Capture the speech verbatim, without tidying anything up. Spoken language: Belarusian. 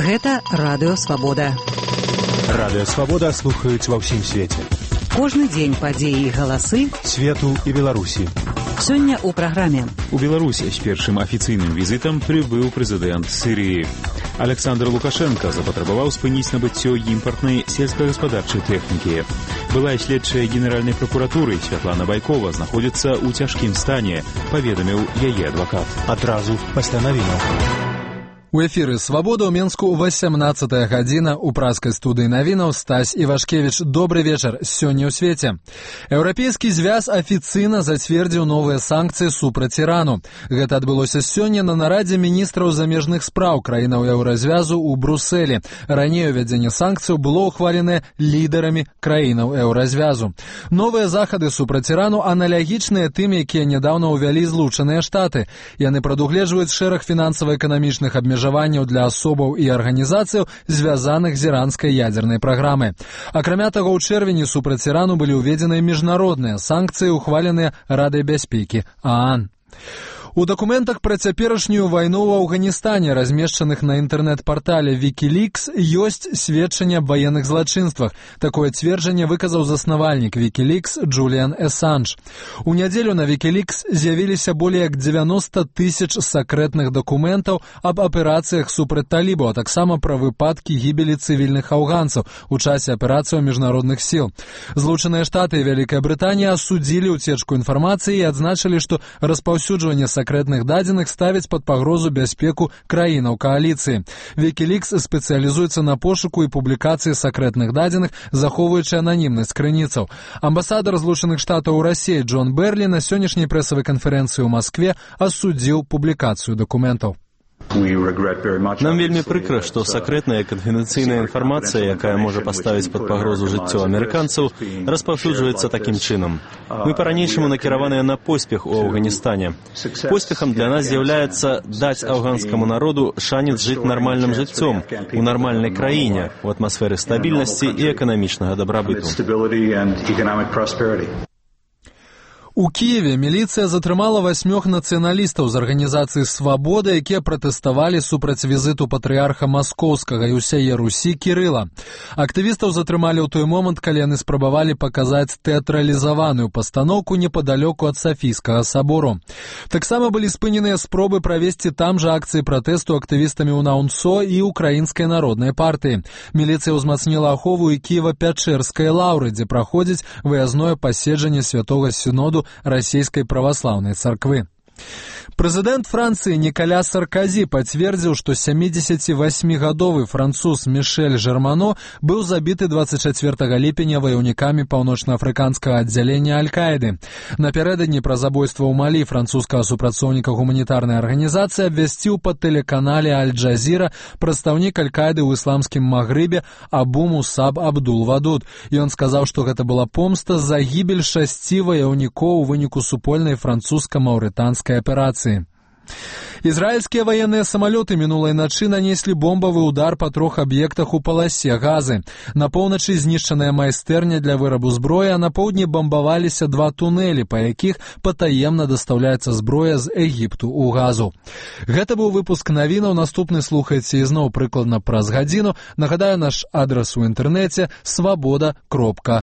Гэта Радыё Свабода. Радыё Свабода слухаюць ва ўсім свеце. Кожны дзень падзеі і галасы свету і Беларусі. Сёння ў праграме. У Беларусі з першым афіцыйным візітам прыбыў прэзідэнт Сірыі. Александр Лукашенко запатрабаваў спыніць набыццё імпартнай сельскагаспадарчай тэхнікі. Былая следчая генеральнай пракуратуры Святлана Байкова знаходзіцца ў цяжкім стане, паведаміў яе адвакат. Адразу пасля навінаў. У эфіры «Свабода» ў Менску васямнаццатая гадзіна. У праскай студыі навінаў Стась Івашкевіч. Добры вечар. Сёння ў свеце. Еўрапейскі звяз афіцыйна зацвердзіў новыя санкцыі супраць Ірану. Гэта адбылося сёння на нарадзе міністраў замежных спраў краінаў еўразвязу ў Брусэлі. Раней увядзенне санкцыяў было ўхваленае лідарамі краінаў еўразвязу. Новыя захады супраць Ірану аналагічныя тым, якія нядаўна ўвялі Злучаныя Штаты. Яны прадугледжваюць шэраг фінансава-эканамічных абмежаванняў для асобаў і арганізацыяў, звязаных з іранскай ядзернай праграмай. Акрамя таго, ў чэрвені супраць Ірану былі ўведзеныя міжнародныя санкцыі, ухваленыя Радай бяспекі ААН. У дакументах пра цяперашнюю вайну ў Афганістане, размешчаных на інтэрнэт-партале Wikileaks, ёсць сведчанне аб ваенных злачынствах. Такое цверджанне выказаў заснавальнік Wikileaks Джуліан Эсанж. У нядзелю на Wikileaks з'явіліся болей як дзевяноста тысяч сакрэтных дакументаў аб аперацыях супраць талібаў, а таксама пра выпадкі гібелі цывільных афганцаў у часе аперацыяў міжнародных сіл. Злучаныя Штаты і Вялікая Брытанія асудзілі ўцечку інфармацыі і адзначылі, што распаўсюджванне сакрэтных дадзеных ставіць пад пагрозу бяспеку краінаў кааліцыі. Wikileaks спецыялізуецца на пошуку і публікацыі сакрэтных дадзеных, захоўваючы ананімнасць крыніцаў. Амбасадар Злучаных Штатаў у Расіі Джон Берлі на сённяшняй прэсавай канферэнцыі ў Маскве асудзіў публікацыю дакументаў. Нам вельмі прыкра, што сакрэтная канфідэнцыйная інфармацыя, якая можа паставіць пад пагрозу жыццё амерыканцаў, распаўсюджваецца такім чынам. Мы па-ранейшаму накіраваныя на поспех у Афганістане. Поспехам для нас з'яўляецца даць афганскаму народу шанец жыць нармальным жыццём у нармальнай краіне, у атмасферы стабільнасці і эканамічнага дабрабыту. У Кіеве міліцыя затрымала васьмёх нацыяналістаў з арганізацыі «Свабода», якія пратэставалі супраць візіту патрыарха Маскоўскага і ўсяе Русі Кірыла. Актывістаў затрымалі ў той момант, калі яны спрабавалі паказаць тэатралізаваную пастаноўку непадалёку ад Сафійскага сабору. Таксама былі спыненыя спробы правесці там жа акцыі пратэсту актывістамі УНАУНСО і Украінскай народнай партыі. Міліцыя ўзмацніла ахову і Кіева-Пячэрскай лаўры, дзе праходзіць выязное паседжанне святога сіноду Расійскай праваслаўнай царквы. Прэзідэнт Францыі Нікаля Сарказі пацвердзіў, што сямідзесяцівасьмігадовы француз Мішэль Жермано быў забіты дваццаць чацвёртага ліпеня ваяўнікамі паўночнаафрыканскага аддзялення Аль-Каіды. Напярэдадні пра забойства ў Малі французскага супрацоўніка гуманітарнай арганізацыі абвясціў па тэлеканале Аль-Джазіра прадстаўнік Аль-Каіды ў ісламскім Магрыбе Абу Мусаб Абдул-Вадуд. Ён сказаў, што гэта была помста за гібель шасці ваяўнікоў у выніку супольнай французска-маўрытанскай аперацыі. Ізраільскія ваенныя самалёты мінулай начы нанеслі бомбавы ўдар па трох аб'ектах у паласе Газы. На поўначы знішчаная майстэрня для вырабу зброі, а на поўдні бамбаваліся два тунэлі, па якіх патаемна дастаўляецца зброя з Егіпту ў Газу. Гэта быў выпуск навінаў. Наступны слухайце ізноў прыкладна праз гадзіну. Нагадаю, наш адрас у інтэрнэце свабода кропка